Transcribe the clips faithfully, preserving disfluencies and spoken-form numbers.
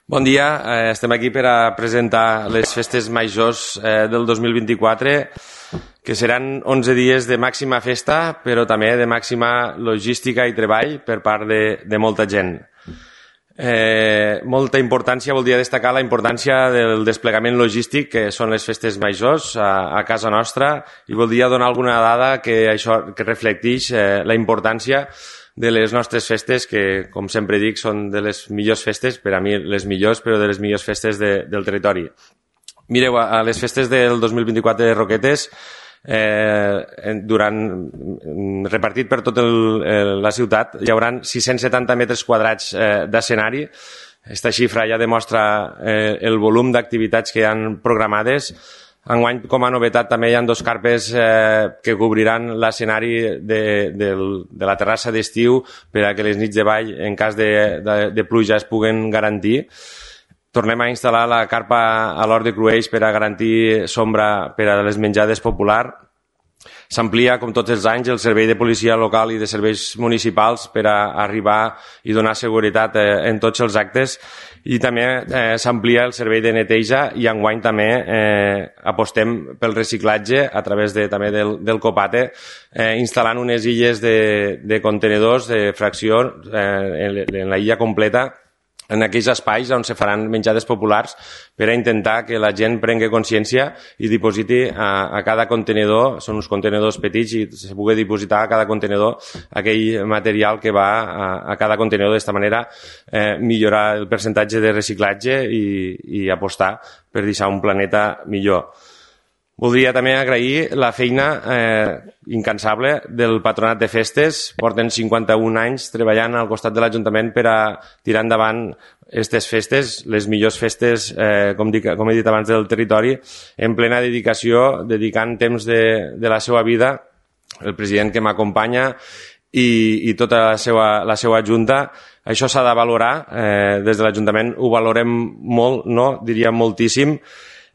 Bon dia, eh, estem aquí per a presentar les festes majors eh, del dos mil vint-i-quatre, que seran onze dies de màxima festa, però també de màxima logística i treball per part de, de molta gent. Eh, molta importància, voldria destacar la importància del desplegament logístic que són les festes majors a, a casa nostra, i voldria donar alguna dada que això que reflecteix eh, la importància de les nostres festes, que, com sempre dic, són de les millors festes, per a mi les millors, però de les millors festes de, del territori. Mireu, a les festes del dos mil vint-i-quatre de Roquetes, eh, durant, repartit per tota la ciutat, hi haurà sis-cents setanta metres quadrats eh, d'escenari. Aquesta xifra ja demostra eh, el volum d'activitats que hi ha programades. Enguany, com a novetat, també hi ha dos carpes eh, que cobriran l'escenari de, de, de la terrassa d'estiu per a que les nits de ball, en cas de, de, de pluja, es puguen garantir. Tornem a instal·lar la carpa a l'Hort de Crueix per a garantir sombra per a les menjades populars. S'amplia, com tots els anys, el servei de policia local i de serveis municipals per a arribar i donar seguretat eh, en tots els actes, i també eh, s'amplia el servei de neteja, i enguany també eh, apostem pel reciclatge a través de, també del, del Copate, eh, instal·lant unes illes de, de contenedors de fracció eh, en, en la illa completa, en aquells espais on se faran menjades populars, per a intentar que la gent prengui consciència i dipositi a, a cada contenedor, són uns contenedors petits, i se pugui dipositar a cada contenedor aquell material que va a, a cada contenedor. D'esta manera eh, millorar el percentatge de reciclatge i, i apostar per deixar un planeta millor. Voldria també agrair la feina eh, incansable del Patronat de Festes. Porten cinquanta-un anys treballant al costat de l'Ajuntament per a tirar endavant aquestes festes, les millors festes, eh, com, dic, com he dit abans, del territori, en plena dedicació, dedicant temps de, de la seva vida, el president que m'acompanya i, i tota la seva, la seva junta. Això s'ha de valorar, eh, des de l'Ajuntament ho valorem molt, no? Diria moltíssim.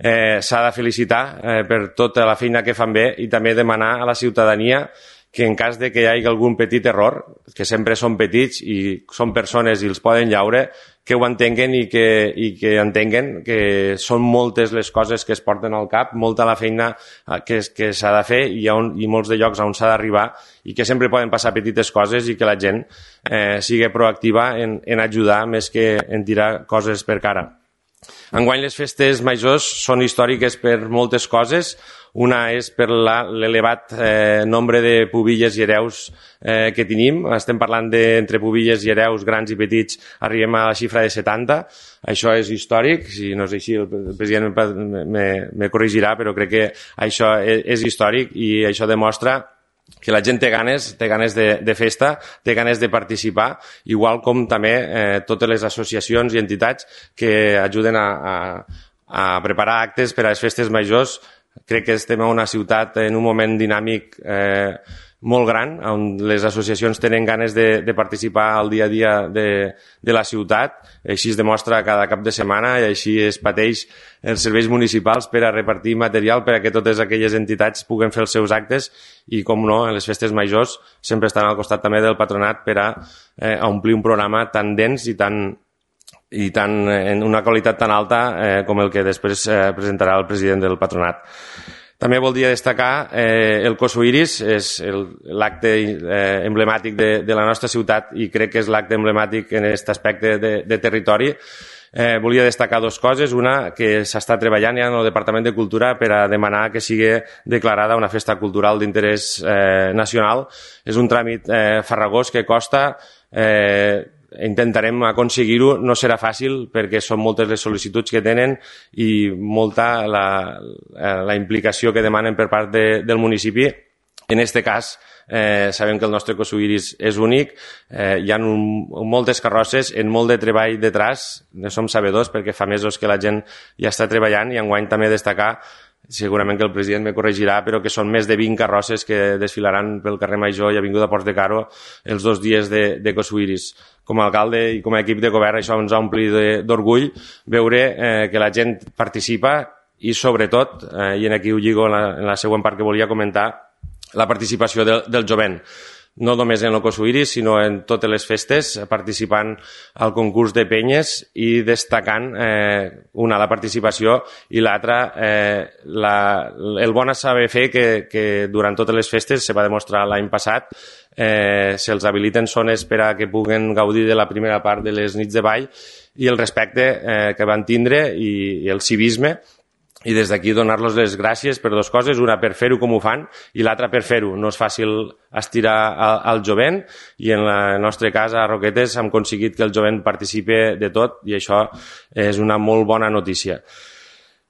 Eh, s'ha de felicitar eh, per tota la feina que fan bé, i també demanar a la ciutadania que en cas de que hi hagi algun petit error, que sempre són petits i són persones i els poden llaure, que ho entenguen i que, i que entenguen que són moltes les coses que es porten al cap, molta la feina que, que s'ha de fer, i, on, i molts de llocs on s'ha d'arribar, i que sempre poden passar petites coses, i que la gent eh, sigui proactiva en, en ajudar més que en tirar coses per cara. Enguany les festes majors són històriques per moltes coses. Una és per l'elevat eh, nombre de pubilles i hereus eh, que tenim. Estem parlant d'entre pubilles i hereus grans i petits, arribem a la xifra de setanta. Això és històric, si no és així el president me, me corregirà, però crec que això és, és històric, i això demostra que la gent té ganes, té ganes de, de festa, té ganes de participar, igual com també eh, totes les associacions i entitats que ajuden a, a, a preparar actes per a les festes majors. Crec que estem a una ciutat en un moment dinàmic eh, molt gran, on les associacions tenen ganes de, de participar al dia a dia de, de la ciutat. Així es demostra cada cap de setmana, i així es pateix els serveis municipals per a repartir material per a que totes aquelles entitats puguen fer els seus actes, i, com no, en les festes majors sempre estan al costat també del patronat per a, eh, a omplir un programa tan dens i tan i tan, en una qualitat tan alta eh, com el que després eh, presentarà el president del patronat. També voldria destacar eh, el Cosuiris, és l'acte eh, emblemàtic de, de la nostra ciutat, i crec que és l'acte emblemàtic en aquest aspecte de, de territori. Eh, volia destacar dues coses. Una, que s'està treballant ja en el Departament de Cultura per a demanar que sigui declarada una festa cultural d'interès eh, nacional. És un tràmit eh, farragós que costa... Eh, intentarem aconseguir-ho. No serà fàcil perquè són moltes les sol·licituds que tenen i molta la, la implicació que demanen per part de, del municipi. En aquest cas, eh, sabem que el nostre Cosuiris és únic, eh, hi ha un, moltes carrosses, en molt de treball detrás, ne som sabedors perquè fa mesos que la gent ja està treballant, i enguany també destacar, segurament que el president me corregirà, però que són més de vint carrosses que desfilaran pel carrer Major i Avinguda Ports de Caro els dos dies de, de Cosuiris. Com a alcalde i com a equip de govern, això ens ha omplit d'orgull veure eh, que la gent participa, i sobretot, eh, i en aquí ho lligo en la, en la següent part que volia comentar, la participació del, del jovent. no només en el Kosuiris, sinó en totes les festes, participant al concurs de penyes i destacant eh, una, la participació, i l'altra, eh, la, el bon saber fer que, que durant totes les festes, se va demostrar l'any passat, eh, se'ls habiliten zones per a que puguen gaudir de la primera part de les nits de ball, i el respecte eh, que van tindre i, i el civisme, i des d'aquí donar-los les gràcies per dues coses, una per fer-ho com ho fan i l'altra per fer-ho. No és fàcil estirar al, al jovent, i en el nostre cas a Roquetes hem aconseguit que el jovent participi de tot, i això és una molt bona notícia.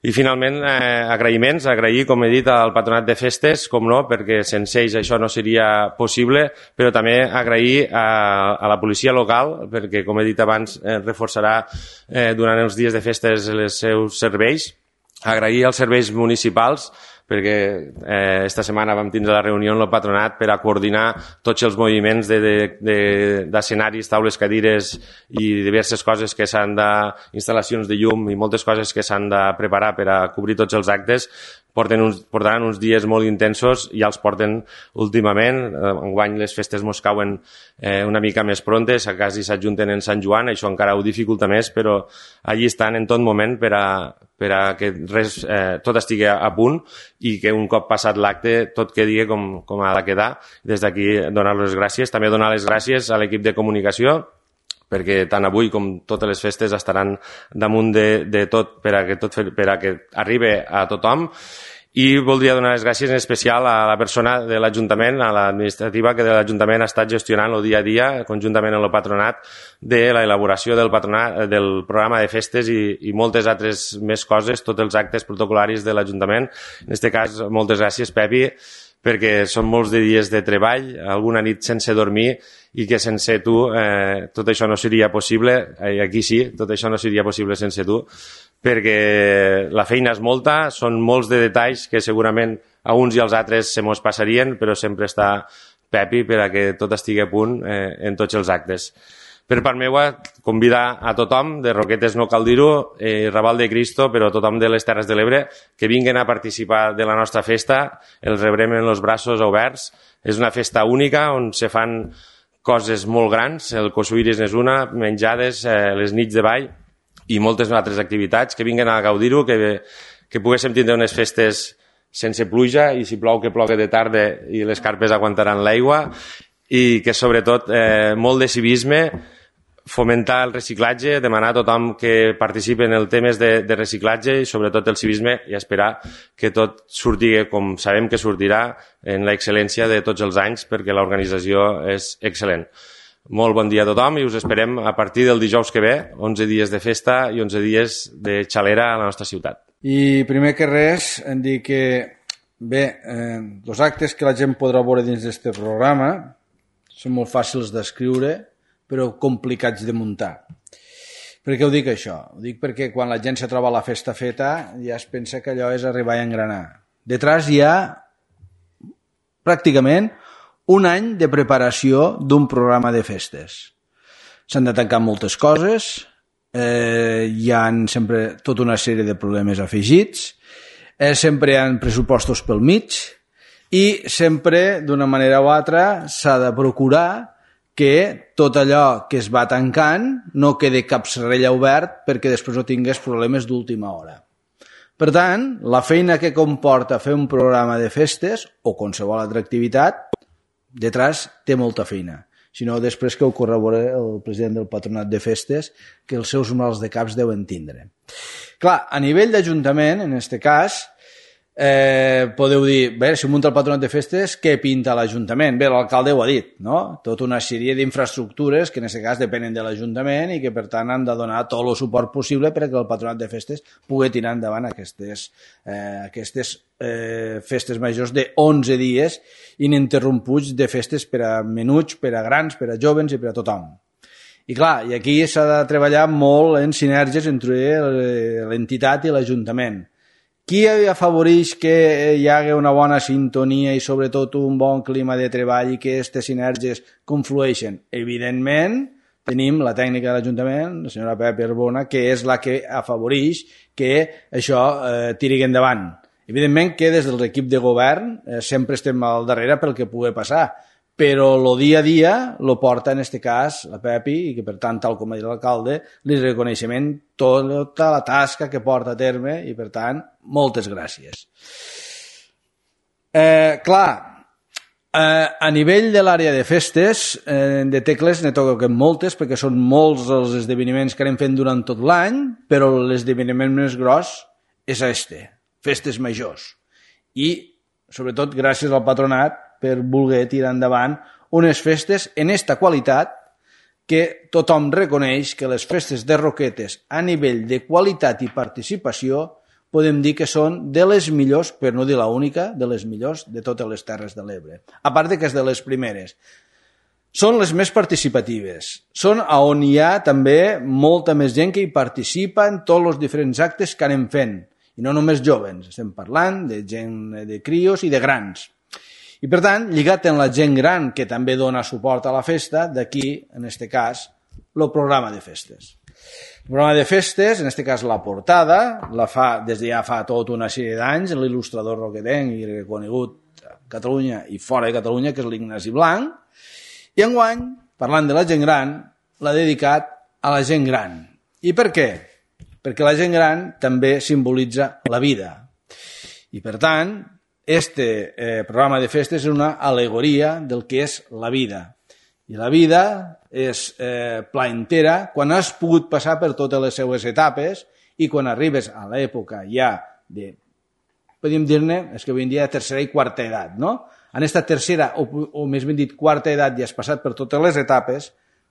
I finalment, eh, agraïments, agrair, com he dit, al Patronat de Festes, com no, perquè sense ells això no seria possible, però també agrair a, a la policia local, perquè, com he dit abans, eh, reforçarà eh, durant els dies de festes els seus serveis. Agrair als serveis municipals, perquè eh, esta setmana vam tindre la reunió amb el patronat per a coordinar tots els moviments d'escenaris, taules, cadires i diverses coses que s'han de, instal·lacions de llum i moltes coses que s'han de preparar per a cobrir tots els actes. Porten uns, portaran uns dies molt intensos, ja els porten últimament. Enguany les festes mos cauen eh, una mica més prontes, a quasi s'adjunten en Sant Joan, això encara ho dificulta més, però allí estan en tot moment per a, per a que res, eh, tot estigui a punt, i que un cop passat l'acte tot quedi com, com ha de quedar. Des d'aquí donar les gràcies. També donar les gràcies a l'equip de comunicació, perquè tant avui com totes les festes estaran damunt de, de tot per a que tot per a que arribi a tothom. I voldria donar les gràcies en especial a la persona de l'Ajuntament, a l'administrativa que de l'Ajuntament ha estat gestionant el dia a dia, conjuntament amb el patronat, de l'elaboració del, patronat, del programa de festes i, i moltes altres més coses, tots els actes protocolaris de l'Ajuntament. En aquest cas, moltes gràcies, Pepi, perquè són molts de dies de treball, alguna nit sense dormir, i que sense tu eh, tot això no seria possible. Eh, aquí sí, tot això no seria possible sense tu, perquè la feina és molta, són molts de detalls que segurament a uns i als altres se mos passarien, però sempre està Pepi per a que tot estigui a punt eh, en tots els actes. Per part meva, convidar a tothom, de Roquetes no cal dir-ho, eh, Raval de Cristo, però tothom de les Terres de l'Ebre, que vinguin a participar de la nostra festa, els rebrem amb els braços oberts. És una festa única on se fan coses molt grans, el Kosuiris és una, menjades, eh, les nits de ball i moltes altres activitats, que vinguin a gaudir-ho, que, que poguéssim tindre unes festes sense pluja, i si plou que plogue de tarda i les carpes aguantaran l'aigua, i que sobretot eh, molt de civisme, fomentar el reciclatge, demanar a tothom que participi en el temes de, de reciclatge i sobretot el civisme, i esperar que tot surti com sabem que sortirà, en l'excel·lència de tots els anys, perquè l'organització és excel·lent. Molt bon dia a tothom i us esperem a partir del dijous que ve, onze dies de festa i onze dies de xalera a la nostra ciutat. I primer que res, em dic que bé, eh, els actes que la gent podrà veure dins d'aquest programa són molt fàcils d'escriure, però complicats de muntar. Per què ho dic això? Ho dic perquè quan la gent se troba la festa feta ja es pensa que allò és arribar a engranar. Detrás hi ha pràcticament un any de preparació d'un programa de festes. S'han de tancar moltes coses, eh, hi ha sempre tota una sèrie de problemes afegits, eh, sempre hi ha pressupostos pel mig, i sempre, d'una manera o altra, s'ha de procurar que tot allò que es va tancant no quedi cap serrella obert perquè després no tingués problemes d'última hora. Per tant, la feina que comporta fer un programa de festes o qualsevol altra activitat, detrás té molta feina. Si no, després que ho corrobora el president del Patronat de Festes, que els seus mals de caps deuen tindre. Clar, a nivell d'Ajuntament, en aquest cas, Eh, podeu dir, bé, si munta el Patronat de Festes, què pinta l'Ajuntament? Bé, l'alcalde ho ha dit, no? Tota una sèrie d'infraestructures que en aquest cas depenen de l'Ajuntament i que per tant han de donar tot el suport possible perquè el Patronat de Festes pugui tirar endavant aquestes, eh, aquestes eh, festes majors de onze dies ininterromputs de festes per a menuts, per a grans, per a joves i per a tothom. I clar, i aquí s'ha de treballar molt en sinergies entre l'entitat i l'Ajuntament. Qui afavoreix que hi hagi una bona sintonia i sobretot un bon clima de treball i que aquestes sinergies conflueixen? Evidentment, tenim la tècnica de l'Ajuntament, la senyora Pepa Arbona, que és la que afavoreix que això eh, tiri endavant. Evidentment que des de l'equip de govern eh, sempre estem al darrere pel que pugui passar, però el dia a dia lo porta, en este cas, la Pepi, i que, per tant, tal com ha dit l'alcalde, li reconeixement tota la tasca que porta a terme i, per tant, moltes gràcies. Eh, clar, eh, a nivell de l'àrea de festes, eh, de tecles ne toquen moltes, perquè són molts els esdeveniments que anem fent durant tot l'any, però l'esdeveniment més gros és este, festes majors. I, sobretot, gràcies al patronat per voler tirar endavant unes festes en esta qualitat que tothom reconeix que les festes de Roquetes a nivell de qualitat i participació podem dir que són de les millors, per no dir la única, de les millors de totes les Terres de l'Ebre. A part de que és de les primeres. Són les més participatives. Són on hi ha també molta més gent que hi participa en tots els diferents actes que anem fent. I no només joves, estem parlant de gent de crios i de grans. I per tant, lligat en la gent gran que també dona suport a la festa, d'aquí, en aquest cas, el programa de festes. El programa de festes, en aquest cas la portada, la fa des de ja fa tota una sèrie d'anys l'il·lustrador roquetenc i reconegut a Catalunya i fora de Catalunya, que és l'Ignasi Blanc, i enguany, parlant de la gent gran, l'ha dedicat a la gent gran. I per què? Perquè la gent gran també simbolitza la vida. I per tant, este eh, programa de festes és una al·legoria del que és la vida. I la vida és eh, plaentera quan has pogut passar per totes les seues etapes i quan arribes a l'època ja de, podríem dir-ne, és que avui en dia tercera i quarta edat, no? En aquesta tercera, o, o més ben dit, quarta edat ja has passat per totes les etapes,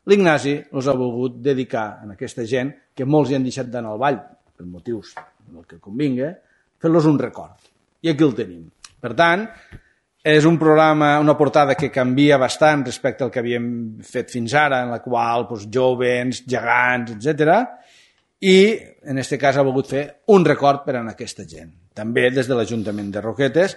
l'Ignasi els ha volgut dedicar a aquesta gent que molts hi han deixat d'anar al ball, per motius del que convinga, fer-los un record. I aquí el tenim. Per tant, és un programa, una portada que canvia bastant respecte al que havíem fet fins ara, en la qual doncs, joves, gegants, etcètera. I en aquest cas ha volgut fer un record per a aquesta gent. També des de l'Ajuntament de Roquetes,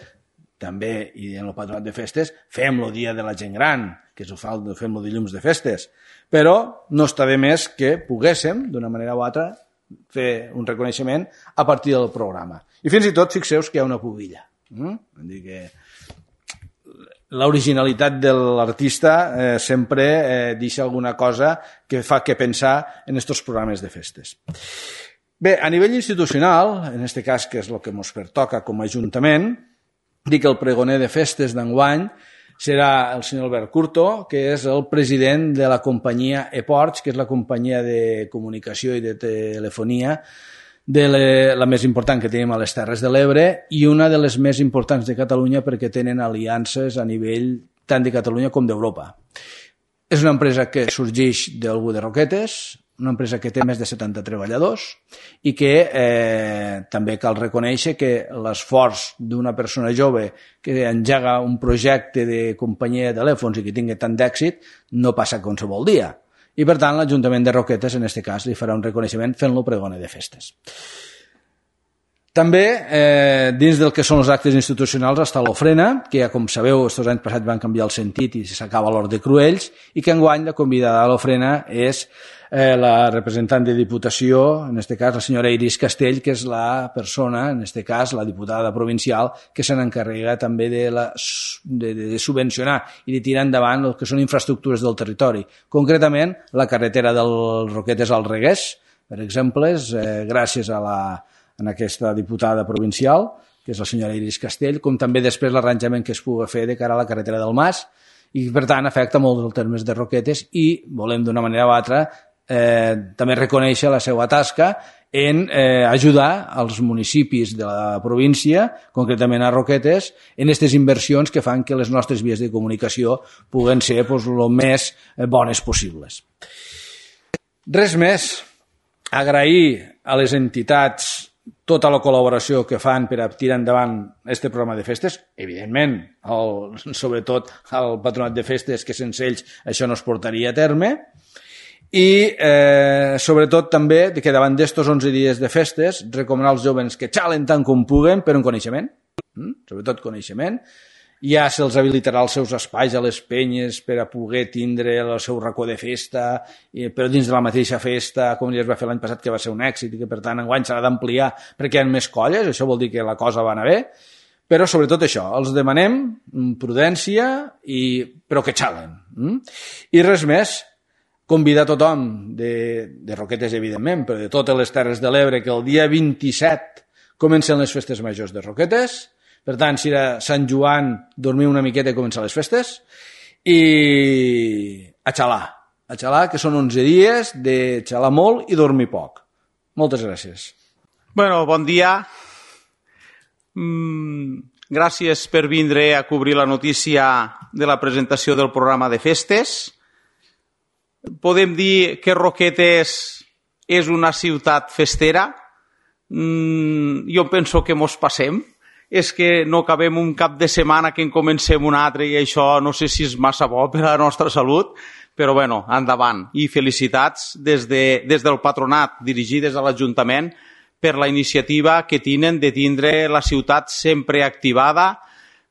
també i en el Patronat de Festes, fem el Dia de la Gent Gran, que ho fa, fem el dilluns de festes. Però no està de més que poguéssim, d'una manera o altra, fer un reconeixement a partir del programa. I fins i tot, fixeu que hi ha una pubilla. Mm? Vull dir que l'originalitat de l'artista eh, sempre eh, deixa alguna cosa que fa que pensar en aquests programes de festes. Bé, a nivell institucional, en aquest cas que és el que ens pertoca com a Ajuntament, dic que el pregoner de festes d'enguany serà el senyor Albert Curto, que és el president de la companyia ePorts, que és la companyia de comunicació i de telefonia de la, la més important que tenim a les Terres de l'Ebre i una de les més importants de Catalunya perquè tenen aliances a nivell tant de Catalunya com d'Europa. És una empresa que sorgeix d'algú de Roquetes, una empresa que té més de setanta treballadors i que eh, també cal reconèixer que l'esforç d'una persona jove que engega un projecte de companyia de telèfons i que tingui tant d'èxit no passa qualsevol dia. I, per tant, l'Ajuntament de Roquetes, en aquest cas, li farà un reconeixement fent-lo pregoner de festes. També, eh, dins del que són els actes institucionals, està l'ofrena, que ja, com sabeu, aquests anys passats van canviar el sentit i s'acaba l'Hort de Cruells, i que enguany la convidada a l'ofrena és eh, la representant de Diputació, en aquest cas la senyora Iris Castell, que és la persona, en aquest cas la diputada provincial, que se n'encarrega també de, la, de, de subvencionar i de tirar endavant el que són infraestructures del territori. Concretament, la carretera del Roquetes al Regués, per exemple, és, eh, gràcies a la en aquesta diputada provincial, que és la senyora Iris Castell, com també després l'arranjament que es pugui fer de cara a la carretera del Mas, i per tant afecta molt els termes de Roquetes i volem d'una manera o altra eh, també reconèixer la seva tasca en eh, ajudar als municipis de la província, concretament a Roquetes, en aquestes inversions que fan que les nostres vies de comunicació puguen ser pues, el més bones possibles. Res més. Agrair a les entitats tota la col·laboració que fan per a tirar endavant aquest programa de festes, evidentment, el, sobretot al Patronat de Festes, que sense ells això no es portaria a terme, i eh, sobretot també que davant d'estos onze dies de festes recomanar als joves que xalen tant com puguen per un coneixement, mm? sobretot coneixement, ja se'ls habilitarà els seus espais a les penyes per a poder tindre el seu racó de festa, però dins de la mateixa festa, com ja es va fer l'any passat, que va ser un èxit i que per tant enguany s'ha d'ampliar perquè hi ha més colles, això vol dir que la cosa va anar bé, Però sobretot això, els demanem prudència, i, però que xalen. Mm? I res més, convidar tothom de, de Roquetes, evidentment, però de totes les Terres de l'Ebre, que el dia vint-i-set comencen les festes majors de Roquetes. Per tant, si era Sant Joan, dormir una miqueta i començar les festes. I a xalar, a xalar, que són onze dies de xalar molt i dormir poc. Moltes gràcies. Bueno, bon dia. Mm, gràcies per vindre a cobrir la notícia de la presentació del programa de festes. Podem dir que Roquetes és una ciutat festera. Mm, jo penso que mos passem. És que no acabem un cap de setmana que en comencem un altre i això no sé si és massa bo per a la nostra salut, però bueno, endavant. I felicitats des, de, des del patronat dirigides a l'Ajuntament per la iniciativa que tenen de tindre la ciutat sempre activada,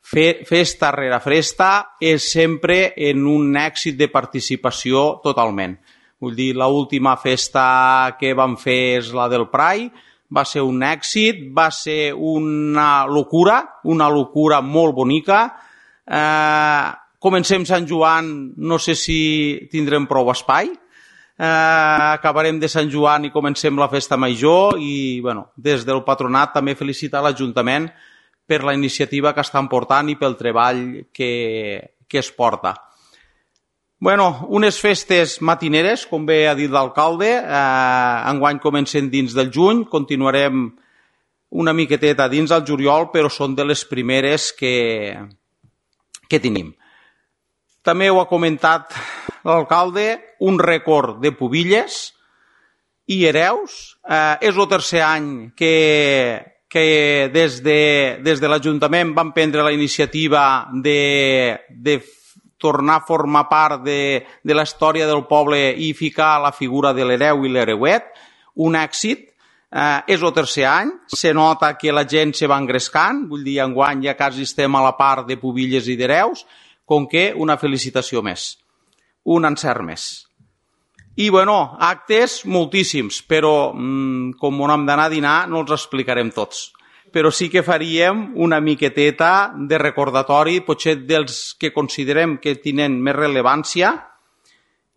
fe, festa rere festa, és sempre en un èxit de participació totalment. Vull dir, l'última festa que vam fer és la del Prai, va ser un èxit, va ser una locura, una locura molt bonica. Eh, comencem Sant Joan, no sé si tindrem prou espai. Eh, acabarem de Sant Joan i comencem la festa major i, bueno, des del patronat també felicitar l'Ajuntament per la iniciativa que estan portant i pel treball que, que es porta. Bueno, unes festes matineres, com bé ha dit l'alcalde, eh, enguany comencen dins del juny, continuarem una miqueteta dins del juliol, però són de les primeres que, que tenim. També ho ha comentat l'alcalde, un rècord de pubilles i hereus. Eh, és el tercer any que, que des de, des de l'Ajuntament van prendre la iniciativa de, de tornar a formar part de, de la història del poble i ficar la figura de l'hereu i l'hereuet. Un èxit. Eh, és el tercer any. Se nota que la gent se va engrescant. Vull dir, enguany ja quasi estem a la part de pubilles i d'hereus, com que una felicitació més. Un encert més. I, bueno, actes moltíssims, però mmm, com on hem d'anar a dinar no els explicarem tots. Però sí que faríem una miqueteta de recordatori, potser dels que considerem que tenen més rellevància,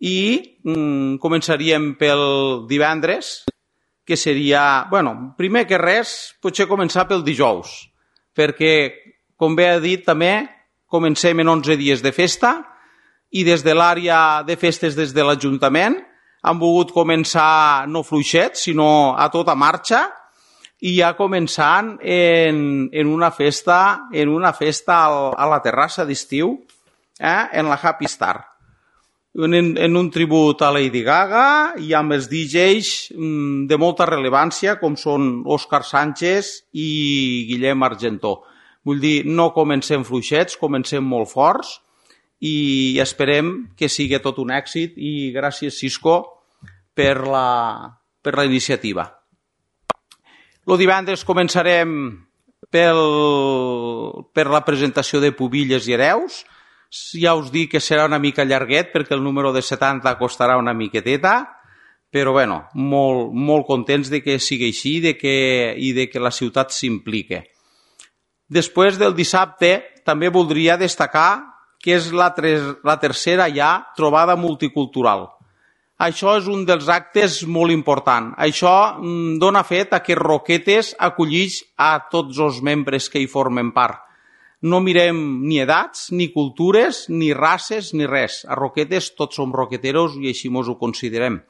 i mm, començaríem pel divendres, que seria, bueno, primer que res, potser començar pel dijous, perquè, com bé ha dit també, comencem en onze dies de festa, i des de l'àrea de festes des de l'Ajuntament han volgut començar no fluixets, sinó a tota marxa, i ja començant en, en una festa, en una festa al, a la terrassa d'estiu, eh, en la Happy Star. En, en un tribut a Lady Gaga i amb els D Js mm, de molta rellevància, com són Òscar Sánchez i Guillem Argentó. Vull dir, no comencem fluixets, comencem molt forts i esperem que sigui tot un èxit i gràcies, Cisco, per la, per la iniciativa. El divendres començarem pel, per la presentació de pubilles i hereus. Ja us dic que serà una mica llarguet perquè el número de setanta costarà una miqueteta, però bueno, molt, molt contents de que sigui així de que, i de que la ciutat s'implique. Després del dissabte també voldria destacar que és la, tres, la tercera ja trobada multicultural. Això és un dels actes molt important. Això mm, dona fet a que Roquetes acollix a tots els membres que hi formen part. No mirem ni edats, ni cultures, ni races, ni res. A Roquetes tots som roqueteros i així mos ho considerem.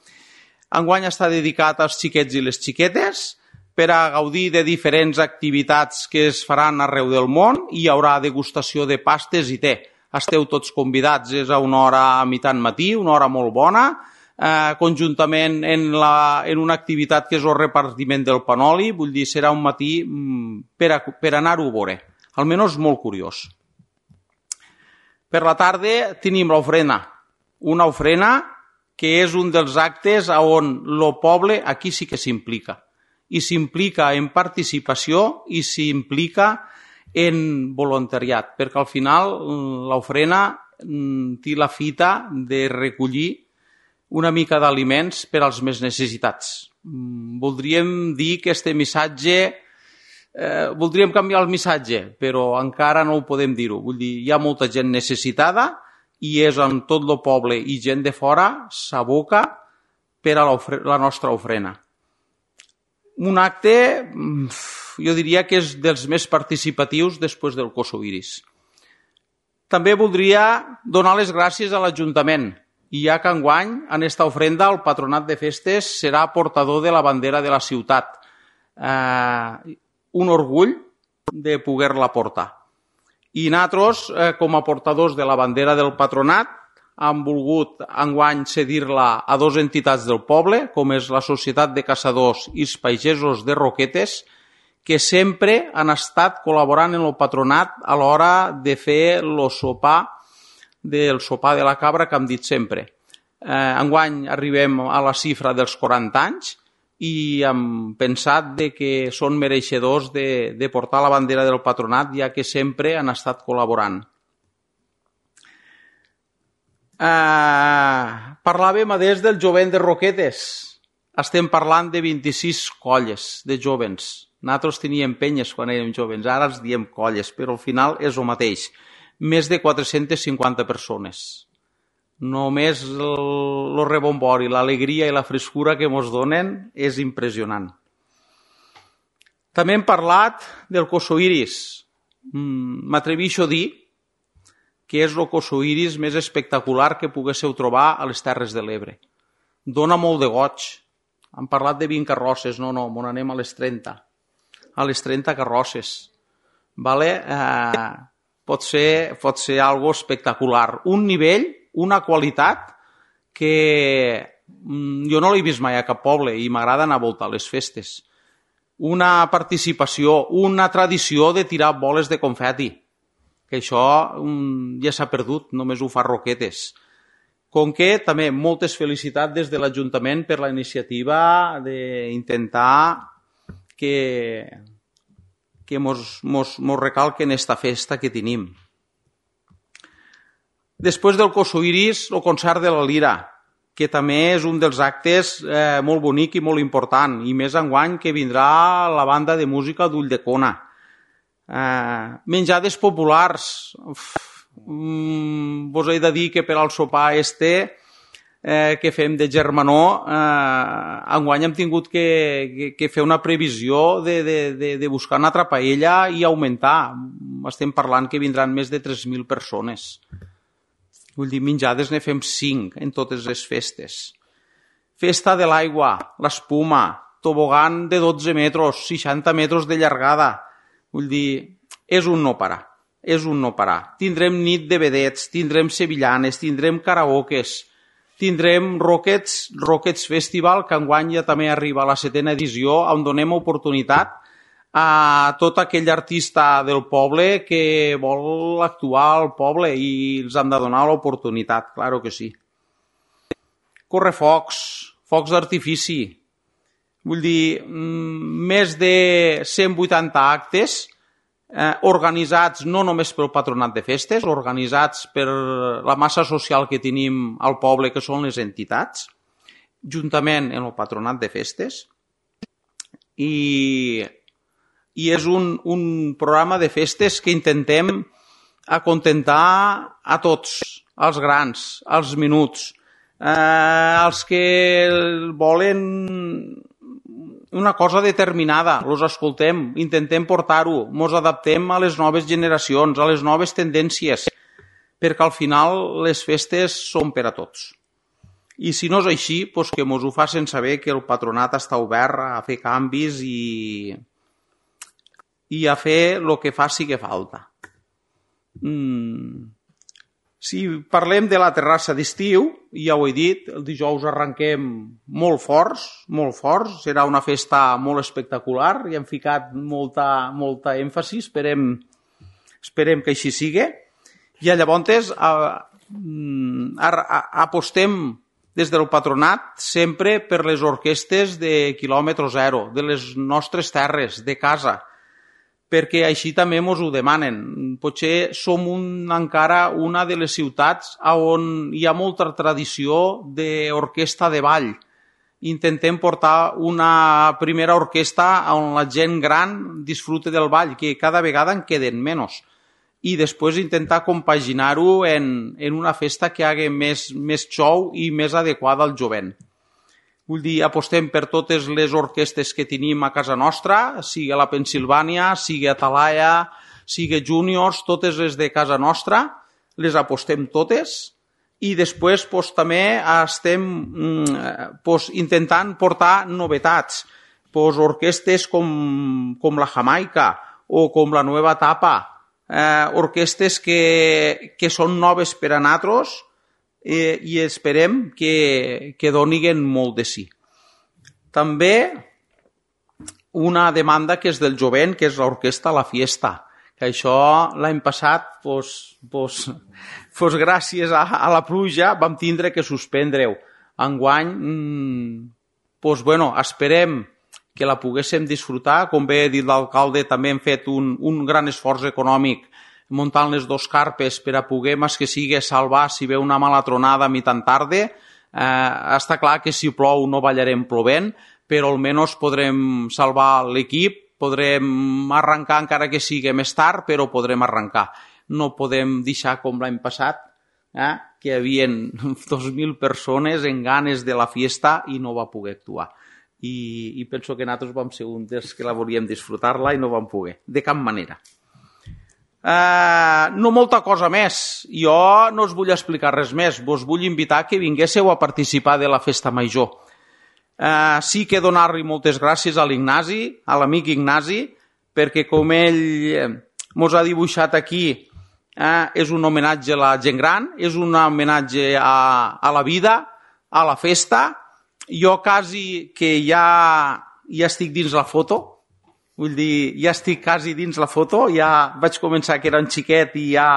Enguany està dedicat als xiquets i les xiquetes per a gaudir de diferents activitats que es faran arreu del món i hi haurà degustació de pastes i te. Esteu tots convidats, és a una hora a mitjan matí, una hora molt bona, Eh, conjuntament en, la, en una activitat que és el repartiment del panoli, vull dir, serà un matí mm, per, a, per anar-ho a veure, almenys molt curiós. Per la tarda tenim l'ofrena, una ofrena que és un dels actes on el poble aquí sí que s'implica, i s'implica en participació i s'implica en voluntariat, perquè al final l'ofrena mm, té la fita de recollir una mica d'aliments per als més necessitats. Voldríem dir que aquest missatge eh, voldríem canviar el missatge, però encara no ho podem dir-ho. Vull dir, hi ha molta gent necessitada i és en tot el poble i gent de fora s'aboca per a la, la nostra ofrena. Un acte, jo diria que és dels més participatius després del Kossowiris. També voldria donar les gràcies a l'Ajuntament, i ja que enguany, en esta ofrenda, el Patronat de Festes serà portador de la bandera de la ciutat. Eh, un orgull de poder-la portar. I nosaltres, eh, com a portadors de la bandera del Patronat, hem volgut enguany cedir-la a dues entitats del poble, com és la Societat de Caçadors i els Pagesos de Roquetes, que sempre han estat col·laborant en el patronat a l'hora de fer el sopar, del sopar de la cabra que hem dit sempre. Eh, enguany arribem a la xifra dels quaranta anys i hem pensat de que són mereixedors de, de portar la bandera del patronat, ja que sempre han estat col·laborant. Eh, parlàvem a des del jovent de Roquetes. Estem parlant de vint-i-sis colles de jovens. Nosaltres teníem penyes quan érem jovens, ara els diem colles, però al final és el mateix. Més de quatre-centes cinquanta persones. Només el rebombori, l'alegria i la frescura que ens donen és impressionant. També hem parlat del Kossowiris. M'atreveixo a dir que és el Kossowiris més espectacular que poguéssiu trobar a les Terres de l'Ebre. Dóna molt de goig. Hem parlat de vint carrosses, no, no, on anem a les trenta. A les trenta carrosses. Vale? Eh, pot ser, pot ser algo espectacular. Un nivell, una qualitat que jo no l'he vist mai a cap poble i m'agrada anar a voltar les festes. Una participació, una tradició de tirar boles de confeti, que això um, ja s'ha perdut, només ho fa Roquetes. Com que també moltes felicitats des de l'Ajuntament per la iniciativa d'intentar que, que mos, mos, mos recalquen esta festa que tenim. Després del Kossowiris, el concert de la Lira, que també és un dels actes eh, molt bonic i molt important, i més enguany que vindrà la banda de música d'Ulldecona. Eh, menjades populars. Uf, mm, vos he de dir que per al sopar este eh, que fem de germanor, eh, enguany hem tingut que, que, que fer una previsió de, de, de, de buscar una altra paella i augmentar. Estem parlant que vindran més de tres mil persones. Vull dir, menjades ne fem cinc en totes les festes. Festa de l'aigua, l'espuma, tobogan de dotze metres, seixanta metres de llargada. Vull dir, és un no parar, és un no parar. Tindrem nit de vedets, tindrem sevillanes, tindrem karaokes, tindrem Rockets, Rockets Festival, que enguany ja també arriba a la setena edició, on donem oportunitat a tot aquell artista del poble que vol actuar al poble i els han de donar l'oportunitat, claro que sí. Correfocs, focs d'artifici, vull dir, més de cent vuitanta actes eh, organitzats no només pel Patronat de Festes, organitzats per la massa social que tenim al poble, que són les entitats, juntament amb el Patronat de Festes, i... i és un, un programa de festes que intentem acontentar a tots, als grans, als menuts, eh, als que volen una cosa determinada, els escoltem, intentem portar-ho, ens adaptem a les noves generacions, a les noves tendències, perquè al final les festes són per a tots. I si no és així, doncs que ens ho facin saber que el patronat està obert a fer canvis i... i a fer el que faci que falta. Mm. Si parlem de la terrassa d'estiu, ja ho he dit, el dijous arrenquem molt forts, molt forts, serà una festa molt espectacular, i hem ficat molta, molta èmfasi, esperem, esperem que així sigui, i llavors a, a, a, apostem des del patronat sempre per les orquestes de quilòmetre zero, de les nostres terres, de casa, perquè així també ens ho demanen. Potser som un, encara una de les ciutats on hi ha molta tradició d'orquestra de ball. intentem portar una primera orquestra on la gent gran disfrute del ball, que cada vegada en queden menys. I després intentar compaginar-ho en, en una festa que hagi més, més show i més adequada al jovent. Vull dir, apostem per totes les orquestes que tenim a casa nostra, sigui a la Pensilvània, sigui a Talaia, sigui Juniors, totes les de casa nostra, les apostem totes i després pues, també estem pues, intentant portar novetats. Pues, orquestes com, com la Jamaica o com la Nueva Etapa, eh, orquestes que, que són noves per a nosaltres eh, i esperem que, que doniguen molt de sí. També una demanda que és del jovent, que és l'orquestra La Fiesta, que això l'any passat, pues, pues, pues gràcies a, a la pluja, vam tindre que suspendre-ho. Enguany, mmm, pues, bueno, esperem que la poguéssim disfrutar. Com bé ha dit l'alcalde, també hem fet un, un gran esforç econòmic muntant les dos carpes per a poder, més que sigui, salvar si ve una mala tronada a mitjan tarda. Eh, està clar que si plou no ballarem plovent, però almenys podrem salvar l'equip, podrem arrencar encara que sigui més tard, però podrem arrencar. No podem deixar com l'any passat, eh, que hi havia dos mil persones en ganes de la fiesta i no va poder actuar. I, i penso que nosaltres vam ser un dels que la volíem disfrutar-la i no vam poder, de cap manera. Uh, no molta cosa més. Jo no us vull explicar res més. Vos vull invitar que vinguéssiu a participar de la festa major. Uh, sí que donar-li moltes gràcies a l'Ignasi, a l'amic Ignasi, perquè com ell mos ha dibuixat aquí, uh, és un homenatge a la gent gran, és un homenatge a, a la vida, a la festa. Jo quasi que ja, ja estic dins la foto, vull dir, ja estic quasi dins la foto, ja vaig començar que era un xiquet i ja,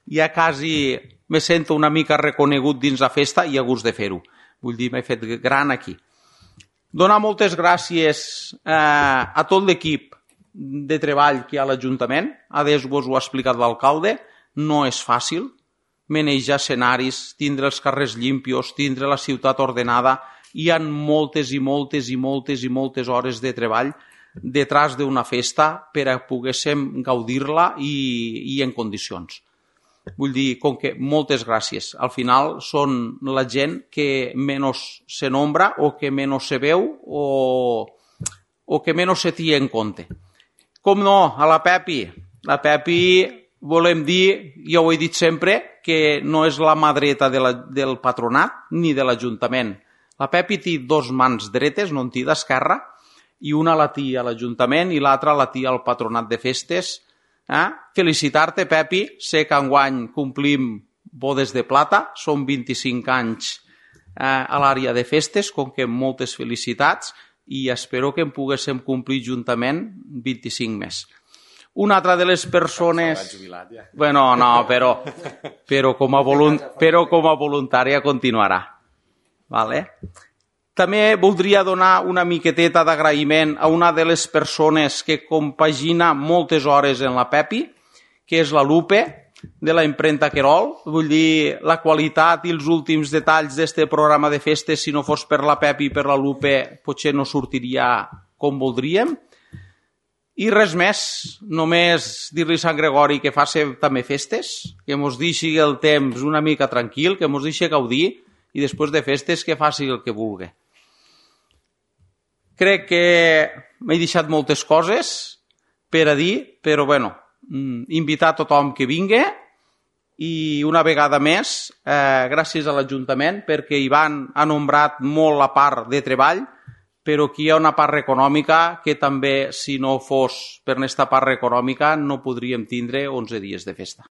ja quasi me sento una mica reconegut dins la festa i a gust de fer-ho. Vull dir, m'he fet gran aquí. Donar moltes gràcies eh, a tot l'equip de treball que hi ha a l'Ajuntament. Adés vos ho ha explicat l'alcalde, no és fàcil manejar escenaris, tindre els carrers limpios, tindre la ciutat ordenada. Hi ha moltes i moltes i moltes i moltes hores de treball detrás d'una festa per a poguéssim gaudir-la i, i en condicions. Vull dir, com que moltes gràcies. Al final són la gent que menys se nombra o que menys se veu o, o que menys se té en compte. Com no, a la Pepi. La Pepi volem dir, jo ho he dit sempre, que no és la mà dreta de la, del patronat ni de l'Ajuntament. La Pepi té dos mans dretes, no en té d'esquerra, i una la té a l'Ajuntament i l'altra la té al Patronat de Festes. Eh? Felicitar-te, Pepi. Sé que enguany complim bodes de plata, són vint-i-cinc anys eh, a l'àrea de festes, com que moltes felicitats, i espero que en poguéssim complir juntament vint-i-cinc més. Una altra de les persones... Bueno, no, però, però, com a volunt... però com a voluntària continuarà. Vale. També voldria donar una miqueteta d'agraïment a una de les persones que compagina moltes hores en la Pepi, que és la Lupe, de la impremta Querol. Vull dir, la qualitat i els últims detalls d'aquest programa de festes, si no fos per la Pepi i per la Lupe, potser no sortiria com voldríem. I res més, només dir-li a Sant Gregori que faci també festes, que mos deixi el temps una mica tranquil, que mos deixi gaudir, i després de festes que faci el que vulgui. Crec que m'he deixat moltes coses per a dir, però bueno, invitar a tothom que vingui i una vegada més, eh, gràcies a l'Ajuntament, perquè Ivan ha nombrat molt la part de treball, però aquí hi ha una part econòmica que també, si no fos per aquesta part econòmica, no podríem tindre onze dies de festa.